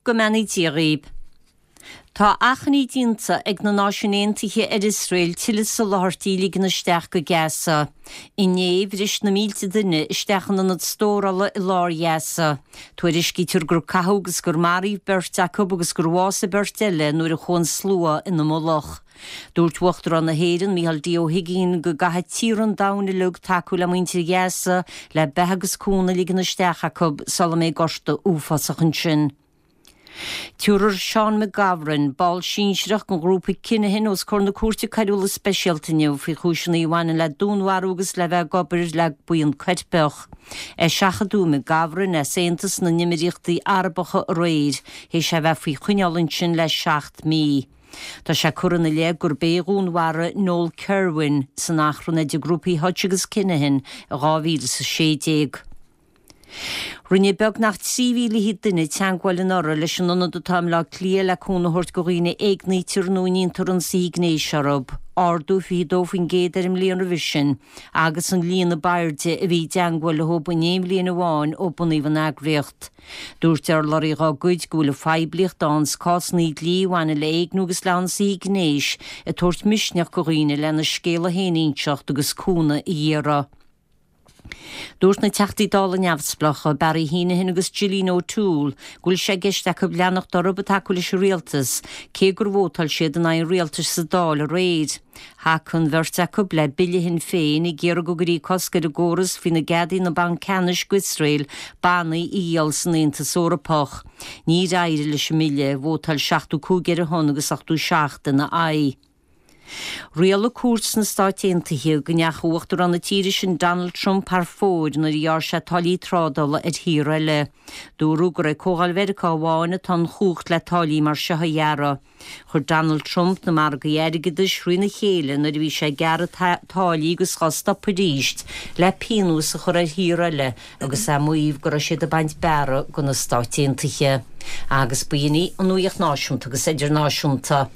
Go mbeannaí Dia dhaoib. Tá achainí déanta ag na Náisiúin Aontaithe ar Iosrael tuilleadh soláthairtí a ligean isteach go Gaza. Inné, bhris na mílte duine isteach in ionad stórála i lár Ghaza. Tuairiscítear gur caitheadh agus gur maraíodh beirt acu agus gur bhásaigh beirt eile nuair a chuaigh an slua ina mullach. Dúirt Uachtarán na hÉireann, Micheál D. Ó hUigínn, go gcaithfidh tíortha an domhain uilig tacú le muintir Ghaza le beatha agus cúnamh a ligean isteach acu sula mbeidh gorta uafásach ansin. Tabharfar Seán McGovern, ball sinsearach den ghrúpa Kinahan, os comhair na Cúirte Coiriúla Speisialta inniu faoi chúiseanna a bhaineann le dúnmharú agus le bheith ag obair le buíon coirpeach. Eiseachadadh McGovern as Aontas na nÉimíríochtaí Arabacha aréir, théis é bheith faoi choinneáil ansin le 7 mí. Tá sé curtha ina leith gurb é a dhúnmharaigh Noel Kirwan san achrann idir grúpaí Hutch agus Kinahan i 2016. Rinne beagnach 3,000 duine teagmháil anuraidh leis an ionad atá i mBleá Cliath le cúnamh a thabhairt do dhaoine a éignítear nó a ndéantar ionsaithe gnéis orthu, ardú 22% ar an mbliain roimhe sin agus an líon ab airde a bhí i dteagmháil leo in aon bhliain amháin ó bunaíodh an eagraíocht. Dúirt urlabhraí dá gcuid go bhfuil an phoiblíocht ann 's cásanna dlí a bhaineann le héigniú agus le hionsaithe gnéis ag tabhairt misneach do dhaoine lena scéala féin a inseacht agus cúnamh a iarraidh. Dúirt na Teachtaí Dála neamhspleácha, Barry Heneghan agus Gillian O'Toole, go bhfuil sé i gceist acu leanacht orthu ag tacú leis an rialtas, cé gur vótáil siad in aghaidh an rialtais sa Dáil aréir. Thacaigh an bheirt acu le bille Shinn Féin ag iarraidh go gcuirfí cosc ar an gcóras faoina gceadaíonn an Banc Ceannais d'Iosrael bannaí a dhíol san Aontas Eorpach. Níor éirigh leis an mbille, vótáil 75 ar a shon agus 87 ina aghaidh. Rialaigh cúirt sna Stáit Aontaithe go ndeachaigh Uachtarán na tíre sin Donald Trump thar fóir nuair a ghearr sé táillí trádála ar thíortha eile. Dúradh gur ag Comhdháil Mheiriceá amháin atá an chumhacht le táillí mar seo a ghearradh. Chuir Donald Trump na margaí airgeadais thrína chéile nuair a bhí sé ag gearradh táillí agus dhá stopadh arís le pionós a chur ar thíortha eile agus é ag maíomh go raibh siad ag baint bearradh de na Stáit Aontaithe. Agus b'in í an nuaíocht náisiúnta agus idirnáisiúnta.